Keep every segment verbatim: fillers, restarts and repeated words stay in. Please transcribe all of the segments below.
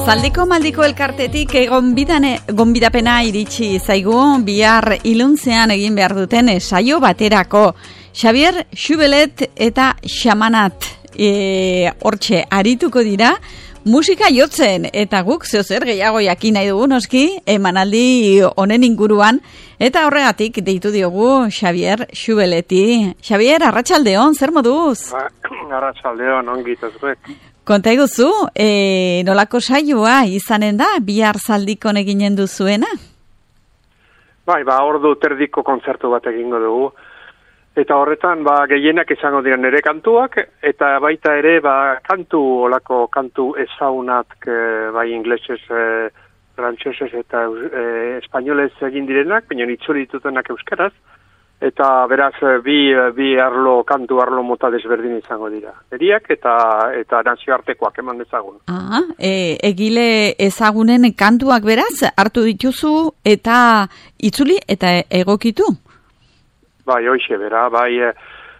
Zaldiko maldiko elkartetik gonbidapena iritsi zaigu bihar iluntzean egin behar duten saio baterako. Xabier Xubelet eta Xamanat e, hortxe arituko dira musika jotzen eta guk zeozer gehiago jakin nahi dugu noski emanaldi honen inguruan eta horregatik deitu diogu Xabier Xubeleti. Xabier, arratsaldeon, zer moduz? Ba, arratsaldeon, ongit zuek. Konta eguzu, e, nolako saioa izanen da, bihar Zaldikon eginen duzuena? Bai, ba, ordu terdiko kontzertu bat egingo dugu. Eta horretan, ba, gehienak izango dira nire kantuak, eta baita ere, ba, kantu, olako kantu ezaunat, bai, inglesez, e, frantsesez eta e, espainolez egin direnak, baina itzuli ditutenak euskaraz, eta beraz, bi, bi arlo, kantu arlo mota desberdin izango dira. Eriak eta eta nazioartekoak eman dezagun. Ah, e, egile ezagunen kantuak beraz, hartu dituzu eta itzuli eta egokitu? Bai, hoxe, bera, bai,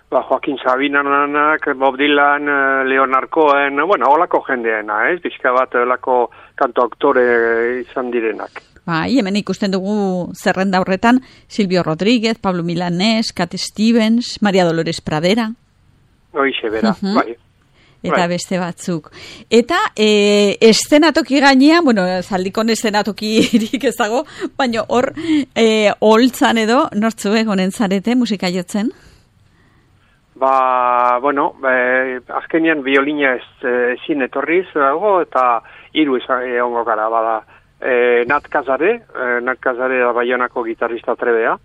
ba, Joaquin Sabinanak, Bob Dylan, Leonard Cohen, bueno, holako jendeena, ez? Bizka bat, holako kantu aktore izan direnak. Bai, hemen ikusten dugu zerrenda horretan Silvio Rodríguez, Pablo Milanés, Cat Stevens, María Dolores Pradera. Hoixe, bera, uh-huh. Bai. Eta bai. Beste batzuk. Eta e, estenatoki gainean, bueno, Zaldikon estenatokirik ez dago, baina hor e, holtzan edo nortzuek honen zarete musika jotzen? Ba, bueno, e, azkenean biolina ez, ezin etorriz dago eta hiru egongo gara, bada. E, Nat Kazare, e, Nat Kazare da Baionako gitarrista trebea.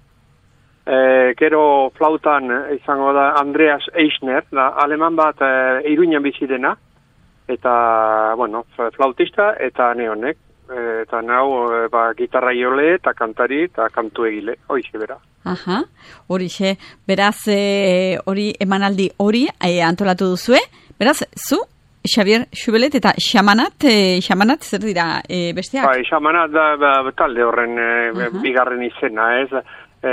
E, gero flautan izango da Andreas Eichner, da aleman bat e, Iruñan bizi dena, eta, bueno, flautista eta neonek. E, eta nau, e, ba, gitarra jole eta kantari eta kantu egile, hoize bera. Aha, horixe, beraz, e, hori emanaldi hori e, antolatu duzue, beraz, zu? Xabier Xubelet eta Xamanat, e, Xamanat zer dira e, besteak? Bai, Xamanat da ba, talde horren e, uh-huh. bigarren izena, ez? E,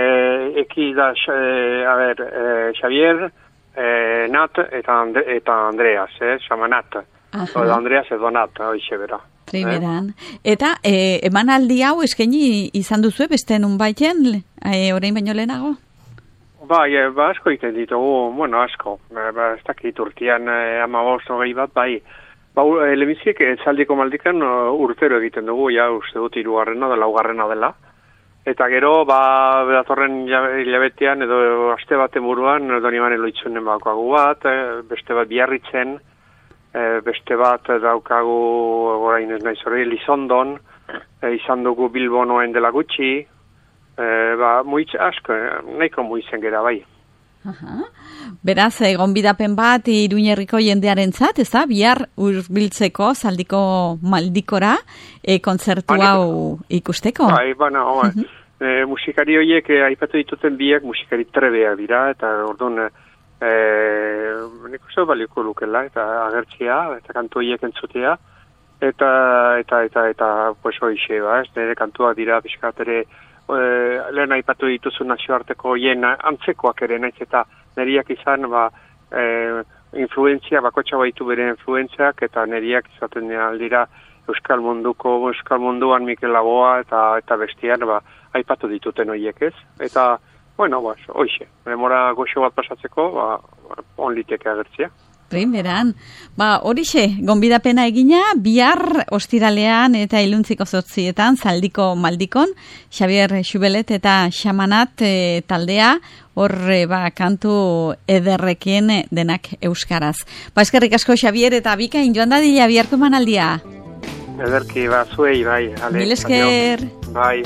eki da, e, a ber, e, Xabier, e, Nat eta, Andre, eta Andreas, eh? Xamanat. Uh-huh. Edo Andreas edo Nat, hoixe bera. Primeran. Eh? Eta e, emanaldi hau eskaini izan duzu beste nun baiten, e, orain baino lehenago? Bai, ba, asko egiten ditugu, bueno, asko, ba, ez dakit urtean eh, amabost hogei bat, bai, ba, lehenbiziek Zaldiko maldikan urtero egiten dugu, ja, uste dut hirugarrena da, laugarrena dela, eta gero, ba, datorren hilabetean edo aste baten buruan, Doni Mane Loitzunen baukagu bat, eh, beste bat Biarritzen, eh, beste bat daukagu, orain ez nahi zore, Lizondon, eh, izan dugu Bilbonoen dela gutxi, Eh, ba, muitz asko, nahiko muitzen gera bai. Aha. Beraz, egon bidapen bat Iruñerriko jendearentzat, ez da? Bihar hurbiltzeko Zaldiko maldikora e, kontzertu hau ikusteko? Bai, bueno, uh-huh. e, musikari horiek e, aipatu dituten biak musikari trebeak dira, eta orduan e, nik uste balioko lukela, eta agertzea, eta kantu horiek entzutea, eta, eta, eta, eta, pues hoixe, ba, ez, nire kantuak dira, pixkat ere, E, lehen aipatu dituzu nazioarteko hien antzekoak ere, naiz eta neriak izan ba, e, influentzia, bakotxa baitu bere influentziak, eta neriak izaten aldira Euskal Munduko, Euskal Munduan Mikel Laboa eta eta bestian ba, aipatu dituten horiek ez. Eta, bueno, ba, hoixe, memora goxo bat pasatzeko, ba, onliteke agertzea. Primeran, ba, horixe, gonbidapena egina, bihar ostiralean eta iluntziko zortzietan, Zaldiko maldikon, Xabier Xubelet eta Xamanat e, taldea, horre, ba, kantu ederrekien denak euskaraz. Ba, eskerrik asko, Xabier, eta bikain joan dadila biharko manaldia. Ederki, ba, zuei, bai. Ale, Mil esker. Bai.